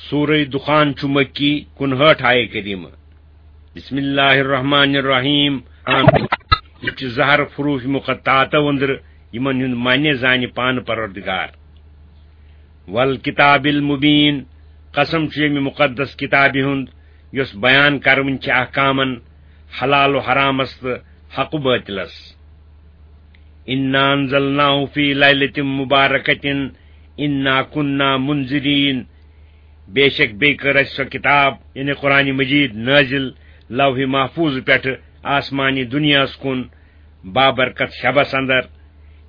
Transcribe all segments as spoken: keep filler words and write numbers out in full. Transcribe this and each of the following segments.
سورہ دخان چھُ مکی، کُنہٲٹھ آیہ کریمہ۔ بسم اللہ الرحمن الرحیم۔ آمین۔ یہِ چھِ زٕ حرف حروف مقطعاتو أنٛدرٕ، یِمن ہُنٛد معنی زانہِ پانہٕ پروردگار۔ والکتاب المبین، قسم چھُ ییٚمہِ مقدس کتابہِ ہُنٛد، یۄس بیان کرٕوٕنۍ چھِ احکامن، حلال و حرامس تہٕ حق و باطلس۔ انا انزلناہ فی لیلۃ مبارکۃ انا کنا منذرین، بے شک بیٚیہِ کٔر اَسہِ سۄ کتاب، یعنی قرآن مجید، نٲزِل لوح محفوظ پٮ۪ٹھٕ آسمانی دُنیاہَس کُن بابرکت شبس اندر،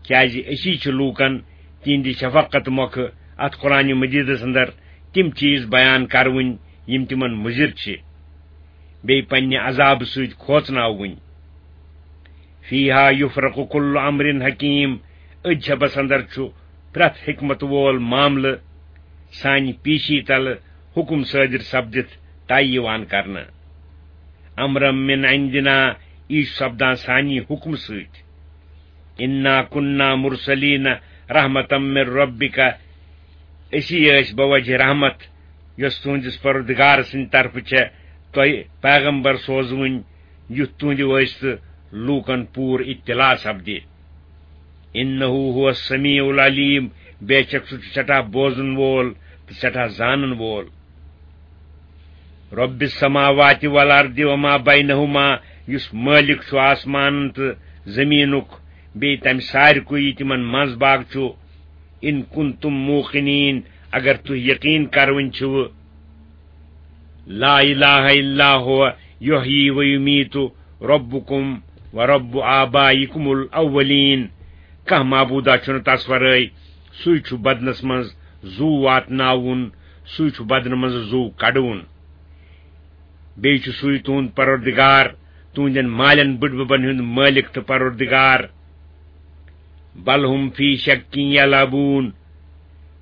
کیازِ أسی چھِ لوٗکن تِہنٛدِ شفقت مۄکھٕ اتھ قرآن مجیدس اندر تِم چیز بیان کرٕوٕنۍ، یِم تِمن مُضر چھِ، بیٚیہِ پننہِ عذابہٕ سۭتۍ کھوژناوٕنۍ۔ فیہا یفرق کل امر حکیم، أتھۍ شبس اندر چھُ پرٛٮ۪تھ حکمت وول معاملہٕ سانہِ پیشی تلہٕ حکم صٲدر سپدِتھ طے یِوان کرنہٕ۔ امرا من عندنا، یہِ چھُ سپدان سانی حکمہٕ سۭتۍ۔ انا کنا مرسلین رحمتا من ربک، أسی ٲسۍ بوجہ رحمت، یۄس تُہنٛدِس پروردگار سٕنٛدِ طرفہٕ چھےٚ تۄہہِ پیغمبر سوزوٕنۍ، یُتھ تُہنٛدِ وٲسطہٕ لوٗکن پوٗرٕ اطلاع سپدِ۔ انہ هو السمیع العلیم، بے شک سُہ چھُ سٮ۪ٹھاہ بوزن وول تہٕ سٮ۪ٹھاہ زانن وول۔ رب السماوات والارض وما بینہما، یُس مٲلِک چھُ آسمانن تہٕ زٔمیٖنُک، بیٚیہِ تَمہِ سارِکُے یہِ تِمن منٛز باگ چھُ۔ ان کنتم موقنین، اگر تُہۍ یقین کرٕوٕنۍ چھِوٕ، لا الہ الا هو یحیی و یمیت ربکم و رب آبائکم الاولین، کانٛہہ معبودا چھُنہٕ تس ورٲے، سُے چھُ بدنس منٛز زُو واتناوُن، سُے چھُ بدنہٕ منٛز زُو کڑوُن۔ بیٚیہِ چھُ سُے تُہُنٛد پروردگار، تُہنٛدٮ۪ن مالٮ۪ن بٕڈببن ہُنٛد مٲلِک تہٕ پروردگار۔ بل ہم فی شک یلعبون،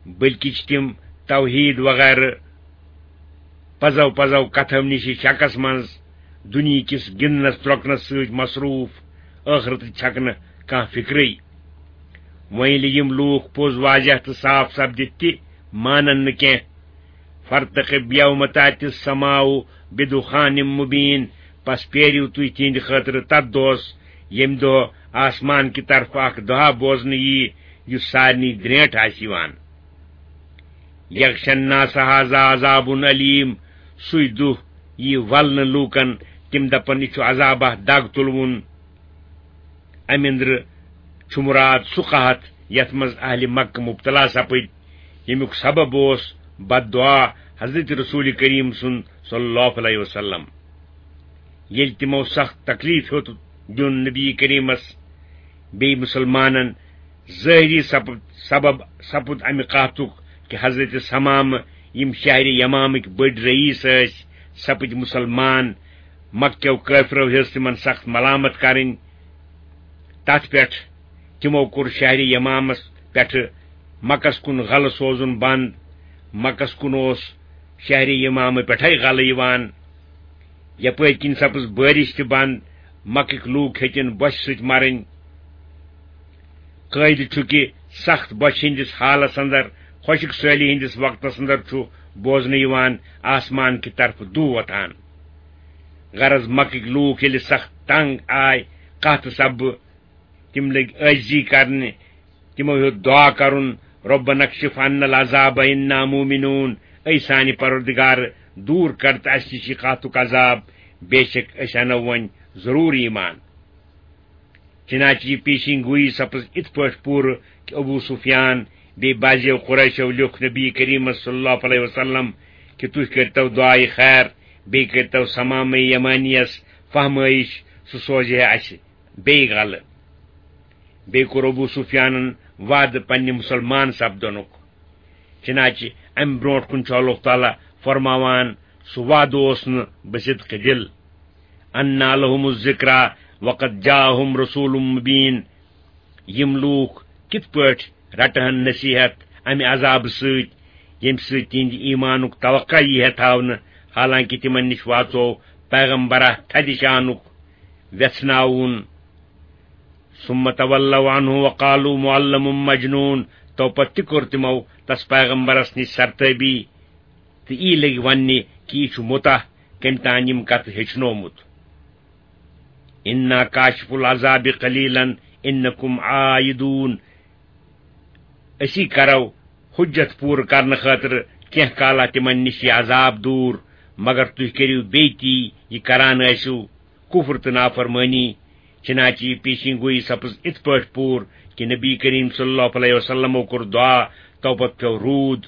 بلکہِ چھِ تِم توحید وغیرہ پزو پزو کتھو نِش شکس منٛز، دُنیہکِس گِنٛدنس درۄکنس سۭتۍ مصروف، ٲخرتٕچ چھکھ نہٕ کانٛہہ فکرٕے۔ وۄنۍ ییٚلہِ یِم لوٗکھ پوٚز واضح تہٕ صاف سپدِتھ تہِ مانن نہٕ کینٛہہ، فارتقب یوم تأتی السماء بدخان مبین، پس پیٲرِو تُہۍ تِہنٛدِ خٲطرٕ تتھ دۄہس، ییٚمہِ دۄہ آسمان کہِ طرفہٕ اکھ دُہا بوزنہٕ ییہِ، یُس سارنٕے درینٹھ آسہِ یِوان۔ یغشی الناس هذا عذاب الیم، سُے دُہ ییہِ ولنہٕ لوٗکن، تِم دپن، یہِ چھُ عذابہ دگ تُلوُن۔ امہِ اندرٕ چھُ مراد سُہ قحط، یتھ منٛز اہلِ مکہ مبتلا سپٕدۍ، ییٚمیُک سبب اوس بد دعا حضرت رسول کریم سُنٛد صلی اللہ علیہ وسلم۔ ییٚلہِ تِمو سخت تکلیف ہیوٚت دیُن نبی کریمس، بیٚیہِ مسلمانن، ظٲہری سپُد، سبب سپُد امہِ قحطُک کہِ حضرت ثمامہ، یِم شہرِ یمامٕکۍ بٔڑۍ رئیس ٲسۍ، سپٕدۍ مسلمان۔ مکہ کیو کٲفرو ہیٚژ تِمن سخت ملامت کرٕنۍ۔ تتھ پٮ۪ٹھ تِمو کوٚر شہرِ یمامس پٮ۪ٹھٕ مکس کُن غلہٕ سوزُن بند۔ مکس کُن اوس شہرِ یمامہٕ پٮ۪ٹھے غلہٕ یِوان۔ یپٲرۍ کِنۍ سپٕز بٲرِش تہِ بند، مکٕکۍ لوٗکھ ہیٚتِن بۄچھِ سۭتۍ مرٕنۍ۔ قٲیدٕ چھُ کہِ سخت بۄچھِ ہٕنٛدِس حالس اندر، خۄشک سٲلی ہٕنٛدِس وقتس اندر چھُ بوزنہٕ یِوان آسمان کہِ طرفہٕ دُہ وۄتھان۔ غرض، مکٕکۍ لوٗکھ ییٚلہِ سخت تنگ آے، قحطہٕ سببہٕ، تِم لٔگۍ عٲجزی کرنہِ، تِمو ہیوٚت دعا کرُن، ربنا اکشف عنا العذاب انا مومنون، اے سانہِ پروردگار، دوٗر کر تہٕ اسہِ نِش یہِ قحطُک عذاب، بے شک أسۍ انو وۄنۍ ضروٗر ایمان۔ چنانچہ یہِ پیشین گویی سپٕز اِتھ پٲٹھۍ پوٗرٕ کہِ ابو سفیان بیٚیہِ بعضیو قریشو لیوٚکھ نبی کریمس صلی اللہ علیہ وسلم کہِ تُہۍ کٔرتو دعایہِ خیر، بیٚیہِ کٔرتو ثمامہ یمانیس فہمٲیش، سُہ سوزِ ہے اسہِ بیٚیہِ غلہٕ۔ بیٚیہِ کوٚر ابو سفیانن وعدٕ پننہِ مسلمان سپدنُک۔ چنانچہ امہِ برونٹھ کُن چھُ اللہ تعالیٰ فرماوان، سُہ وعدٕ اوس نہٕ بصدق دل۔ انا لهم الذکری وقد جاءهم رسول مبین۔ یِم لوٗکھ کِتھ پٲٹھۍ رٹہٕ ہن نصیحت امہِ عذابہٕ سۭتۍ، ییٚمہِ سۭتۍ تِہنٛدِ ایمانُک توقع یی ہے تھاونہٕ، حالانکہ تِمن نِش واژو پیغمبرا تھدِ شانُک ویژھناوُن؟ ثم تولوا عنه وقالوا معلم مجنون، تو پتہٕ تہِ کوٚر تِمو تس پیغمبرس نِش سرتٲبی۔ تہٕ یی لٔگۍ وننہِ کہِ یہِ چھُ مُتاہ، کٔمۍ تام یِم کتھٕ ہیٚچھنومُت۔ انا کاشف العذاب قلیلا انکم عائدون۔ أسی کرو حجت پوٗرٕ کرنہٕ خٲطرٕ کینٛہہ کالا تِمن نِش یہِ عذاب دوٗر، مگر تُہۍ کٔرِو بیٚیہِ تی یہِ کران ٲسِو، کُفر تہٕ نافرمٲنی۔ چنانچہ یہِ پیشین گویی سپٕز اِتھ پٲٹھۍ پوٗرٕ کہِ نبی کریم صلی اللہ علیہ وسلمو کوٚر دعا، توپتہٕ پیوٚو روٗد،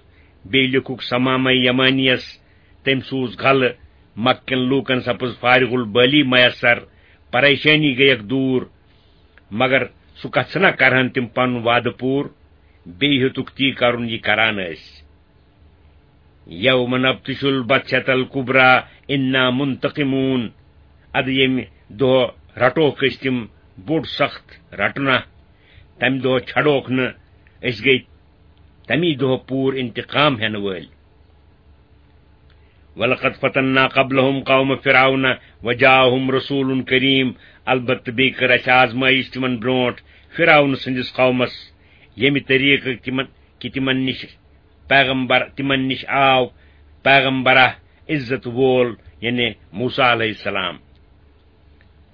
بیٚیہِ لیوٚکھُکھ صمامہ یمانیَس، تٔمۍ سوٗز غلہٕ، مکہ کٮ۪ن لوٗکن سپٕز فارغ البٲلی میسر، پریشٲنی گٔیکھ دوٗر۔ مگر سُہ کتھ چھنا کرہن تِم پنُن وعدٕ پوٗرٕ؟ بیٚیہِ ہیوٚتُکھ تی کرُن، یہِ کران ٲسۍ۔ یوم نبطش البطشۃ الکبریٰ انا منتقمون۔ ادٕ ییٚمہِ دۄہ رٹوکھ أسۍ تِم بوٚڑ سخت رٹنا، تمہِ دۄہ چھڑوکھ نہٕ، أسۍ گٔے تمی دۄہ پوٗرٕ انتقام ہٮ۪نہٕ وٲلۍ۔ ولقد فتنا قبلهم قوم فرعون وجاءهم رسول کریم۔ البتہ بیٚیہِ کٔر اَسہِ آزمٲیش تِمن برونٛٹھ، فرعون سٕنٛدِس قومس، ییٚمہِ طریٖقہٕ تِمن، کہِ تِمن نِش پیغمبر، تِمن نِش آو پیغمبرہ عزت وول، یعنی موسیٰ علیہ السلام۔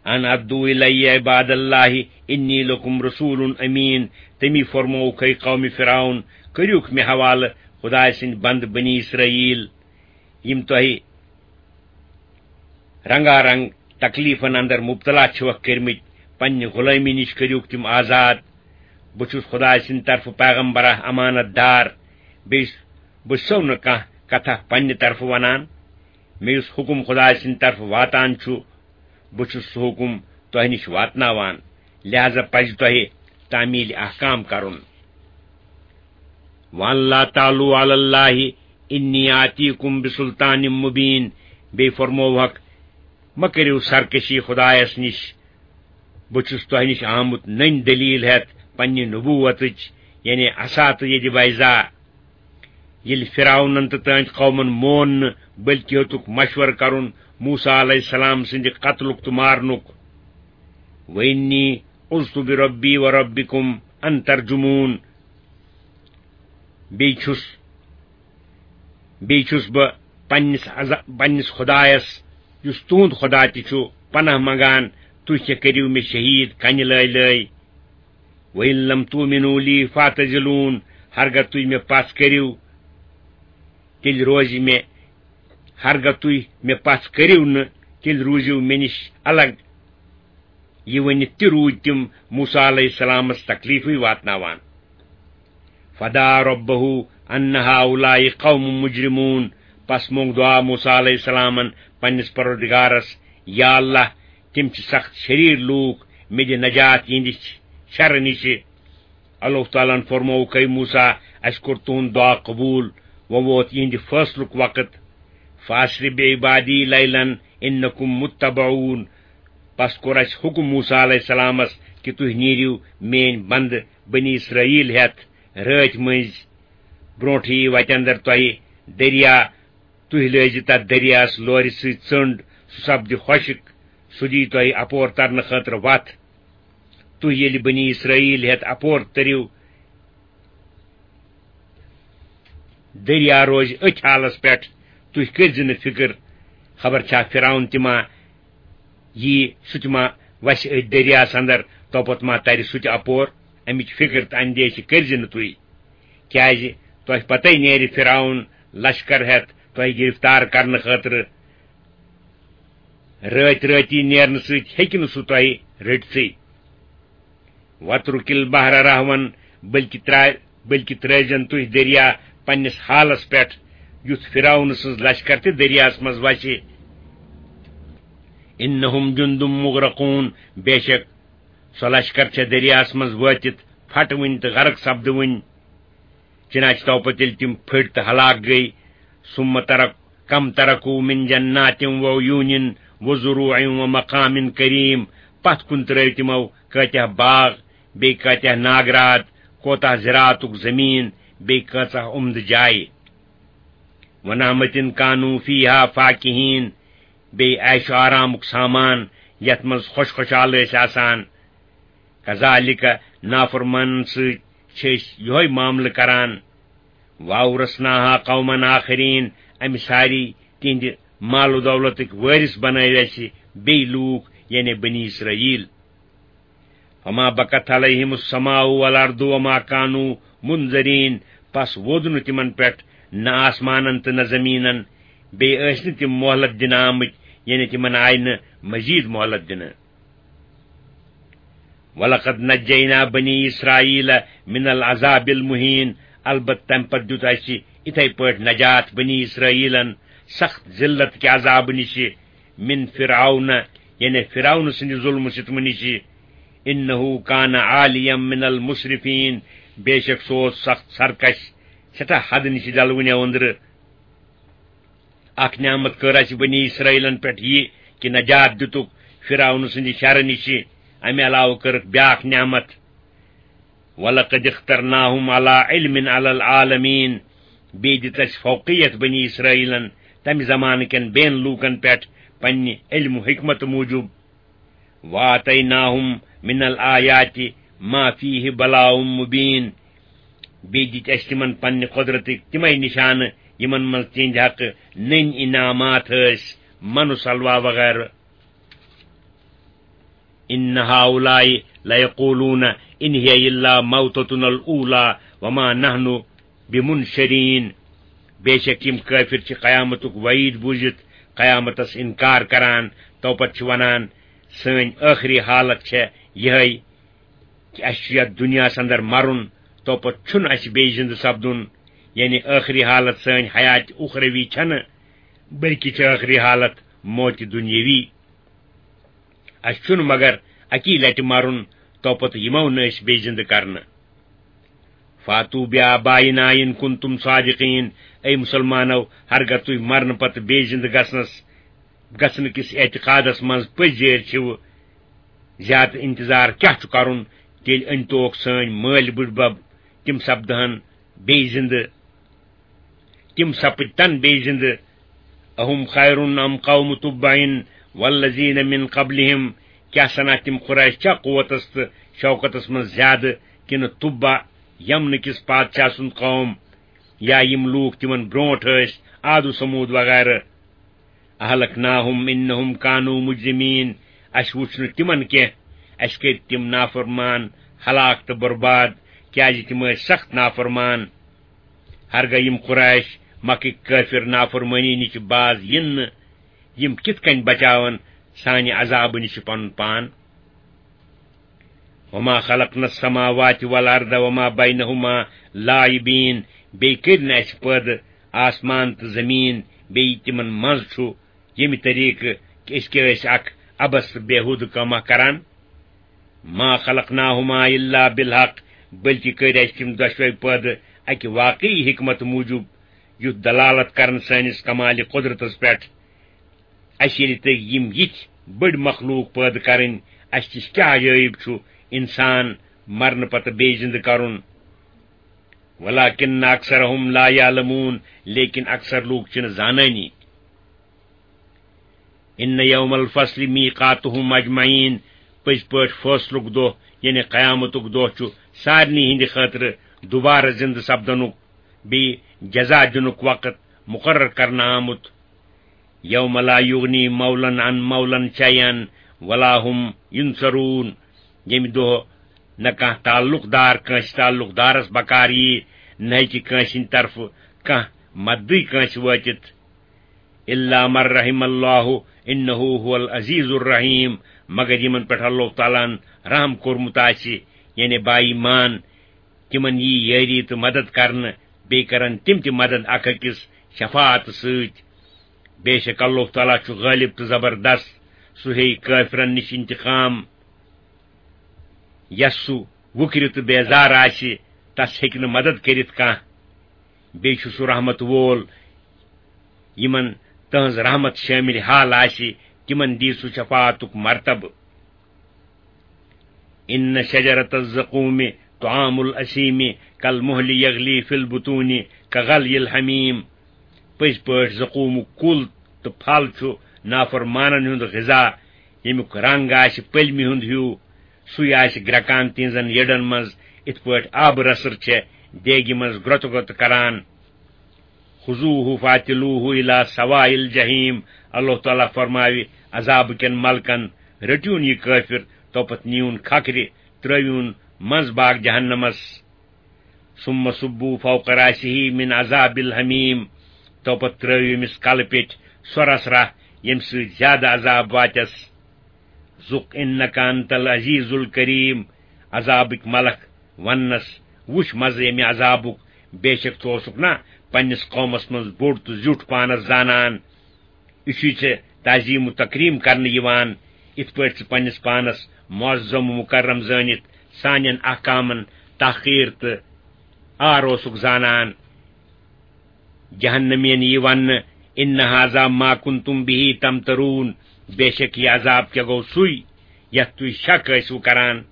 ان ادعوا الی عباد اللہ انی لکم رسول امین۔ تمی فرمووُکھ، ہے قوم فرعون، کٔرِوکھ مےٚ حوالہٕ خدایہِ سٕنٛدۍ بندٕ بنی اسرائیل، یِم تۄہہِ رنگا رنگ تکلیفن اندر مبتلا چھِوکھ کٔرمٕتۍ، پننہِ غلٲمی نِش کٔرِوکھ تِم آزاد۔ بہٕ چھُس خدایہِ سٕنٛدِ طرفہٕ پیغمبرہ امانت دار، بیٚیہِ بہٕ چھُسو نہٕ کانٛہہ کتھا پننہِ طرفہٕ ونان۔ مےٚ یُس حکم خدایہِ سٕنٛدِ طرفہٕ واتان چھُ، بہٕ چھُس سُہ حکم تۄہہِ نِش واتناوان، لہذا پزِ تۄہہِ تعمیل احکام کرُن۔ وَأَنْ لَا تَعْلُوا عَلَى اللَّهِ إِنِّي آتِيكُمْ بِسُلْطَانٍ مُبِينٍ۔ بیٚیہِ فرمووہکھ، مہ کٔرِو سرکشی خدایس نِش، بہٕ چھُس تۄہہِ نِش آمُت نٔنۍ دلیل ہٮ۪تھ پننہِ نبوتٕچ، یعنی عصا تہٕ یدِ بیضا۔ ییٚلہِ فرعونن تہٕ تہنٛدۍ قومن مون نہٕ، بلکہِ ہیوٚتُکھ مشورٕ کرُن موسیٰ علیہ السلام سٕنٛدِ قتلُک تہٕ مارنُک۔ وَإِنِّي عُذْتُ بِرَبِّي وَرَبِّكُمْ أَنْ تَرْجُمُونِ۔ بیٚیہِ چھُس، بیٚیہِ چھُس بہٕ پننِس عذا-، پننِس خدایس، یُس تُہُنٛد خدا تہِ چھُ، پناہ منگان، تُہۍ کیٛاہ کٔرِو مےٚ شہیٖد کنہِ لٲے لٲے؟ وَإِنْ لَمْ تُؤْمِنُوا لِي فَاعْتَزِلُونِ۔ ہرگاہ تُہۍ مےٚ پژھ کٔرِو، تیٚلہِ روزِ مےٚ، ہرگاہ تُہۍ مےٚ پژھ کٔرِو نہٕ، تیٚلہِ روٗزِو مےٚ نِش الگ۔ یہِ ؤنِتھ تہِ روٗدۍ تِم موسیٰ علیہ السلامس تکلیفٕے واتناوان۔ فَدَعَا رَبَّهُ أَنَّ هَؤُلَاءِ قَوْمٌ مُجْرِمُونَ۔ پس مونگ دعا موسیٰ علیہ السلامن پننِس پروردگارس، یا اللہ، تِم چھِ سخت شریر لوٗکھ، مےٚ دِ نجات یِہنٛدِ شرٕ نِشہِ۔ اللہ تعالیٰ ہن فرمووُکھ، اے موسیٰ، اسہِ کوٚر تُہُنٛد دعا قبوٗل، وۄنۍ ووت یِہنٛدِ فٲصلُک وقت۔ فَأَسْرِ بِعِبَادِي لَيْلًا إِنَّكُمْ مُتَّبَعُونَ۔ پس کوٚر اسہِ حکم موسیٰ علیہ السلامس کہِ تُہۍ نیٖرِو میٲنۍ بندٕ بنی اسرائیل ہٮ۪تھ رٲتۍ مٔنٛزۍ۔ برونٛٹھٕے یی وتہِ اندر تۄہہِ دریا، تُہۍ لٲزِ تتھ دریاہس لورِ سۭتۍ ژٔنٛڈ، سُہ سپدِ خۄشک، سُہ دِیہِ تۄہہِ اپور ترنہٕ خٲطرٕ وتھ۔ تُہۍ ییٚلہِ بنی اسرائیل ہٮ۪تھ اپور تٔرِو، دریا روزِ أتھۍ حالس پٮ۪ٹھ، تُہۍ کٔرۍزِ نہٕ فِکر، خبر چھا فرعون تہِ ما یی، سُہ تہِ ما وسہِ أتھۍ دریاہس اندر، توپتہٕ ما ترِ سُہ تہِ اپور۔ امِچ فِکر تہٕ اندیشہِ کٔرۍزِ نہٕ تُہۍ، کیازِ تۄہہِ پتے نیرِ فرعون لشکر ہٮ۪تھ تۄہہِ گرفتار کرنہٕ خٲطرٕ۔ رٲتۍ رٲتی نیرنہٕ سۭتۍ ہیٚکہِ نہٕ سُہ تۄہہِ رٔٹتھٕے۔ وَاتْرُكِ الْبَحْرَ رَهْوًا، بلکہِ ترا-، بلکہِ ترٲوزٮ۪ن تُہۍ دریا پننِس حالس پٮ۪ٹھ، یُتھ فرعون سٕنٛز لشکر تہِ دریاہس منٛز وسہِ۔ إِنَّهُمْ جُنْدٌ مُغْرَقُونَ، بے شک سۄ لشکر چھےٚ دریاہس منٛز وٲتِتھ پھٹوٕنۍ تہٕ غرق سپدوٕنۍ۔ چنانچہ توپتہٕ ییٚلہِ تِم پھٔٹۍ تہٕ ہلاک گٔے، ثُمَّ تَرَكْ، كَمْ تَرَكُوا مِنْ جَنَّاتٍ وَعُيُونٍ وَزُرُوعٍ وَمَقَامٍ كَرِيمٍ، پتھ کُن ترٲوۍ تِمو کٲتیاہ باغ، بیٚیہِ کٲتیاہ ناگرات، کوتاہ زراعتُک زمین، بیٚیہِ کۭژاہ عمدٕ جایہِ۔ وَنَعْمَةٍ كَانُوا فِيهَا فَاكِهِينَ، بیٚیہِ عیش و آرامُک سامان، یتھ منٛز خۄش خۄشحال ٲسۍ آسان۔ کذالک، نافرمانن سۭتۍ چھِ أسۍ یِہوٚے معاملہٕ کران۔ وَأَوْرَثْنَاهَا قَوْمًا آخَرِينَ، امہِ ساری تِہنٛدِ مال و دولتٕکۍ وٲرث بنٲوۍ اسہِ بیٚیہِ لوٗکھ، یعنی بنی اسرائیل۔ فَمَا بَكَتْ عَلَيْهِمُ السَّمَاءُ وَالْأَرْضُ وَمَا كَانُوا مُنْظَرِينَ، پس وود نہٕ تِمن پٮ۪ٹھ نہ آسمانن تہٕ نہ زٔمیٖنن، بیٚیہِ ٲسۍ نہٕ تِم مۄہلت دِنہٕ آمٕتۍ، یعنی تِمن آیہِ نہٕ مزید مۄہلت دِنہٕ۔ وَلَقَدْ نَجَّيْنَا بَنِي إِسْرَائِيلَ مِنَ الْعَذَابِ الْمُهِينِ، البتہ تمہِ پتہٕ دیُت اسہِ اِتھے پٲٹھۍ نجات بنی اسرائیلن سخت ذلت کہِ عذابہٕ نِشہِ، مِن فِرْعَوْنَ، یعنی فِرْعَوْنہٕ سٕنٛدِ ظُلمہٕ ستمہٕ نِشہِ، إِنَّهُ كَانَ عَالِيًا مِنَ الْمُسْرِفِينَ، بے شک سُہ اوس سخت سرکش، سٮ۪ٹھاہ حدٕ نِشہِ ڈلوٕنیو أنٛدرٕ۔ اکھ نعمت کٔر اسہِ بنی اسرائیلن پٮ۪ٹھ یہِ کہِ نجات دِتُکھ فرعون سٕنٛدِ شرٕ نِشہِ۔ امہِ علاوٕ کٔرٕکھ بیاکھ نعمت، وَلَقَدِ اخْتَرْنَاهُمْ عَلَىٰ عِلْمٍ عَلَى الْعَالَمِينَ۔ بیٚیہِ دِژ اسہِ فوقیت بنی اسرائیلن تمہِ زمانہٕ کٮ۪ن بیٚین لوٗکن پٮ۪ٹھ پننہِ علم و حکمت موٗجوٗب۔ وَآتَيْنَاهُمْ مِنَ الْآيَاتِ مَا فِيهِ بَلَاءٌ مُبِينٌ۔ بیٚیہِ دِتۍ اَسہِ تِمن پننہِ قۄدرتٕکۍ تِمے نِشانہٕ، یِمن منٛز تِہنٛدِ حقہٕ نٔنۍ انعامات ٲسۍ، من و سلویٰ وغیرہ۔ إِنَّ هَٰؤُلَاءِ لَيَقُولُونَ إِنْ هِيَ إِلَّا مَوْتَتُنَا الْأُولَىٰ وَمَا نَحْنُ بِمُنشَرِينَ۔ بے شک یِم کٲفِر چھِ قیامتُک وعید بوٗزِتھ قیامتس انکار کران، تو پتہٕ چھِ ونان، سٲنۍ ٲخری حالت چھےٚ یِہے کہِ اسہِ چھُ یتھ دُنیاہس اندر مرُن، تو پتہٕ چھُنہٕ اسہِ بیٚیہِ زندٕ سپدُن۔ یعنی ٲخری حالت سٲنۍ حیات اخروی چھنہٕ، بلکہِ چھِ ٲخری حالت موتِ دُنیاوی۔ اسہِ چھُنہٕ مگر اکی لٹہِ مرُن، تو پتہٕ یِمو نہٕ أسۍ بیٚیہِ زندٕ کرنہٕ۔ فَأْتُوا بِآبَائِنَا إِنْ كُنْتُمْ صَادِقِينَ۔ اے مسلمانو، ہرگاہ تُہۍ مرنہٕ پتہٕ بیٚیہِ زِندٕ گژھنس، گژھنہٕ کِس اعتقادس منٛز پٔزۍ جٲرۍ چھِو، زیادٕ انتظار کیٛاہ چھُ کرُن؟ تیٚلہِ أنۍ توکھ سٲنۍ مٲلۍ بٕڈبب، تِم سپدہن بیٚیہِ زِندٕ۔ تِم سپٕدۍ تن بیٚیہِ زِندٕ۔ أَهُمْ خَيْرٌ أَمْ قَوْمُ تُبَّعٍ وَالَّذِينَ مِنْ قَبْلِهِمْ؟ کیٛاہ سنا تِم قریش چھا قوتس تہٕ شوکتس منٛز زیادٕ کِنہٕ تُبع، یمنہٕ کِس پادشاہ سُنٛد قوم، یا یِم لوٗکھ تِمن برونٛٹھ ٲسۍ، عاد و ثمود وغیرہ؟ أَهْلَكْنَاهُمْ إِنَّهُمْ كَانُوا مُجْرِمِينَ۔ اسہِ وُچھ نہٕ تِمن کینٛہہ، اسہِ کٔرۍ تِم نافرمان ہلاک تہٕ برباد، کیٛازِ تِم ٲسۍ سخت نافرمان۔ ہرگاہ یِم قریش، مکٕکۍ کٲفِر، نافرمٲنی نِش باز یِن نہٕ، یِم کِتھ کٔنۍ بچاون سانہِ عذابہٕ نِش پنُن پان؟ وَمَا خَلَقْنَا السَّمَاوَاتِ وَالْأَرْضَ وَمَا بَيْنَهُمَا لَاعِبِينَ۔ بیٚیہِ کٔرۍ نہٕ اَسہِ پٲدٕ آسمان تہٕ زٔمیٖن، بیٚیہِ تِمن منٛز چھُ، ییٚمہِ طریٖقہٕ کہِ أسۍ کیٛاہ ٲسۍ اکھ عبث تہٕ بیہوٗدٕ کٲمہ کران۔ مَا خَلَقْنَاهُمَا إِلَّا بِالْحَقِّ، بلکہِ کٔرۍ اَسہِ تِم دۄشوے پٲدٕ اَکہِ واقعی حکمت موٗجوٗب، یُتھ دلالت کرن سٲنِس کمالِ قدرتس پٮ۪ٹھ۔ اَسہِ ییٚلہِ تۄہہِ یِم یِتھۍ بٔڑۍ مخلوق پٲدٕ کرٕنۍ، اَسہِ نِش کیٛاہ عجٲیب چھُ اِنسان مرنہٕ پتہٕ بیٚیہِ زِندٕ کرُن؟ وَلَٰكِنَّ أَكْثَرَهُمْ لَا يَعْلَمُونَ، لیکن اکثر لوٗکھ چھِنہٕ زانٲنی۔ إِنَّ يَوْمَ الْفَصْلِ مِيقَاتُهُمْ أَجْمَعِينَ، پٔزۍ پٲٹھۍ فٲصلُک دۄہ، یعنی قیامتُک دۄہ، چھُ سارنٕے ہٕنٛدِ خٲطرٕ دوبارٕ زِندٕ سپدنُک، بیٚیہِ جزا دِنُک وقت مُقرر کرنہٕ آمُت۔ يَوْمَ لَا يُغْنِي مَوْلًى عَنْ مَوْلًى شَيْئًا وَلَا هُمْ يُنْصَرُونَ، ییٚمہِ دۄہ نہ کانٛہہ تعلق دار کٲنٛسہِ تعلق دارس بکار ییہِ، نہ ہیٚکہِ کٲنٛسہِ ہٕنٛدِ طرفہٕ کانٛہہ مددٕے کٲنٛسہِ وٲتِتھ۔ إِلَّا مَن رَّحِمَ اللَّهُ إِنَّهُ هُوَ الْعَزِيزُ الرَّحِيمُ، مگر یِمن پٮ۪ٹھ اللہ تعالیٰ ہن رحم کوٚرمُت آسہِ، یعنی با ایمان، تِمن یی یٲری تہٕ مدد کرنہٕ، بیٚیہِ کرن تِم تہِ مدد اکھ أکِس شفاعت سۭتۍ۔ بے شک اللہ تعالیٰ چھُ غٲلب تہٕ زبردست، سُہ ہیٚیہِ کٲفرن نِش انتقام۔ یس سُہ وُکرِ تہٕ بیزار آسہِ، تس ہیٚکہِ نہٕ مدد کٔرِتھ کانٛہہ۔ بیٚیہِ چھُ سُہ رحمت وول، یِمن تہنٛز رحمت شٲمِل حال آسہِ، تِمن دی سُہ شفاعتُک مرتبہٕ۔ إِنَّ شَجَرَتَ الزَّقُّومِ طَعَامُ الْأَثِيمِ كَالْمُهْلِ يَغْلِي فِي الْبُطُونِ كَغَلْيِ الْحَمِيمِ۔ پٔزۍ پٲٹھۍ زقومُک کُل تہٕ پھل چھُ نافرمانن ہُنٛد غذا، ییٚمیُک رنگ آسہِ پٔلمہِ ہُنٛد ہیوٗ، سُے آسہِ گرٛٮ۪کان تِہنٛزن یٔڈن منٛز، یِتھ پٲٹھۍ آبہٕ رسٕر چھےٚ دیگہِ منٛز گرٛۄتہٕ گرٛۄتہٕ کران۔ خذوه فاعتلوه الی سواء الجحیم۔ اللہ تعالیٰ فرماوِ عذابہٕ کٮ۪ن ملکن، رٔٹِوُن یہِ کٲفِر، توپتہٕ نِیوُن کھکھرِ، ترٲوِوُن منٛز باغ جہنمس۔ ثم صبوا فوق رأسه من عذاب الحمیم۔ توپتہٕ ترٲوِو أمِس کلہٕ پیٚٹھۍ سۄ رسرا، ییٚمہِ سۭتۍ زیادٕ عذاب واتٮ۪س۔ ذُق انک انت العزیز الکریم۔ عذابٕکۍ ملک وننس، وُچھ مزٕ ییٚمہِ عذابُک، بے شک ژٕ اوسُکھ نا پننِس قومس منٛز بوٚڑ تہٕ زیُٹھ پانس زانان۔ یہِ چھُے ژےٚ تعظیم و تکریم کرنہٕ یِوان، یِتھ پٲٹھۍ ژٕ پننِس پانس معظم و مکرم زٲنِتھ سانٮ۪ن احکامن تحقیر تہٕ عار اوسُکھ زانان۔ جہنمین یی وننہٕ، ان ھذا ما کنتم بہ تمترون۔ بے شک یہِ عذاب کیٛاہ گوٚو سُے، یتھ تُہۍ شک ٲسِو کران۔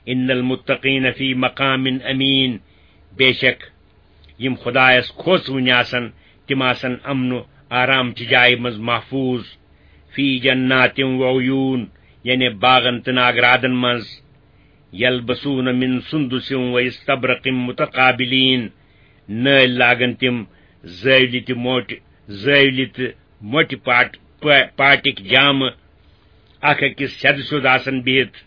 ان المتقین فی مقام امین۔ بے شک یِم خدایس کھوژوٕنۍ آسن، تِم آسن امن و آرام چہِ جایہِ منٛز محفوظ۔ فی جنات و عیون، یعنی باغن تہٕ ناگرادن منٛز۔ یلبسون من سندس و استبرق متقابلین۔ نٲلۍ لاگن تِم زٲولہِ تہِ موٹہِ، زٲولہِ تہٕ موٹہِ پاٹ-، پا-، پاٹِکۍ جامہٕ، اکھ أکِس سیٚدٕ سیوٚد آسن بِہِتھ۔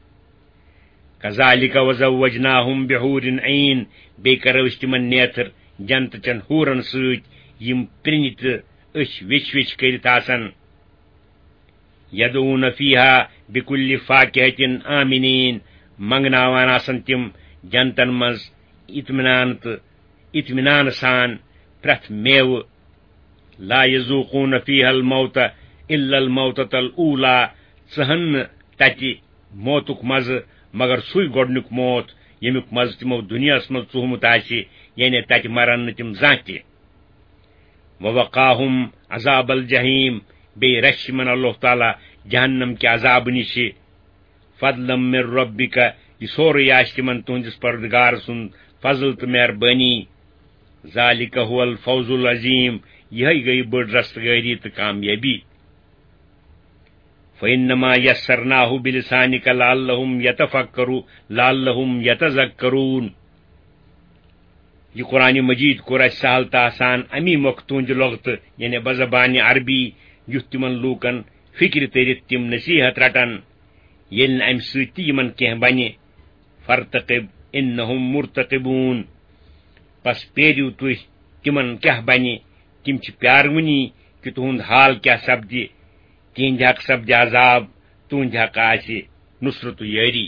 کذالک وزوجناہم بحور عین۔ بیٚیہِ کرو أسۍ تِمن نیتھر جنتہٕ چٮ۪ن حورن سۭتۍ، یِم پرِنہِ تہٕ أچھ ویچھ ویچھ کٔرِتھ آسن۔ یدعون فیہا بکل فاکہۃ آمنین۔ منگناوان آسن تِم جنتن منٛز اطمینان تہٕ اطمینان سان پرٛٮ۪تھ میوٕ۔ لا یذوقون فیہا الموت الا الموتۃ الاولی۔ ژٕہن نہٕ تتہِ موتُک مزٕ مگر سُے گۄڈنیُک موت، ییٚمیُک مزٕ تِمو دُنیاہس منٛز ژوٗہمُت آسہِ، یعنی تتہِ مرن نہٕ تِم زانٛہہ تہِ۔ ووقاہم عذاب الجحیم۔ بیٚیہِ رچھِ یِمن اللہ تعالیٰ جہنم کہِ عذابہٕ نِشہِ۔ فضلا من ربک، یہِ سورُے آسہِ تِمن تُہنٛدِس پروردگار سُنٛد فضل تہٕ مہربٲنی۔ ذالک هو الفوز العظیم، یِہے گٔیہِ بٔڑ رستگٲری تہٕ کامیٲبی۔ فإنما یسرناہ بلسانک لعلہم یتفکرو-، لعلہم یتذکرون۔ یہِ قرآن مجید کوٚر اَسہِ سہل تہٕ آسان اَمی مۄکھٕ تُہنٛدِ لۄغتہٕ، یعنی بزبانِ عربی، یُتھ تِمن لوٗکن فِکرِ تٔرِتھ تِم نصیحت رٹن، ییٚلہِ نہٕ اَمہِ سۭتۍ تہِ یِمن کینٛہہ بنہِ۔ فارتقب انہم مرتقبون۔ پس پیٲرِو تُہۍ، تِمن کیٛاہ بنہِ؟ تِم چھِ پیاروٕنی کہِ تُہُنٛد حال کیٛاہ سپدِ۔ تِہنٛدِ حق سپدِ عذاب، تُہنٛدِ حق آسہِ نصرت و یٲری۔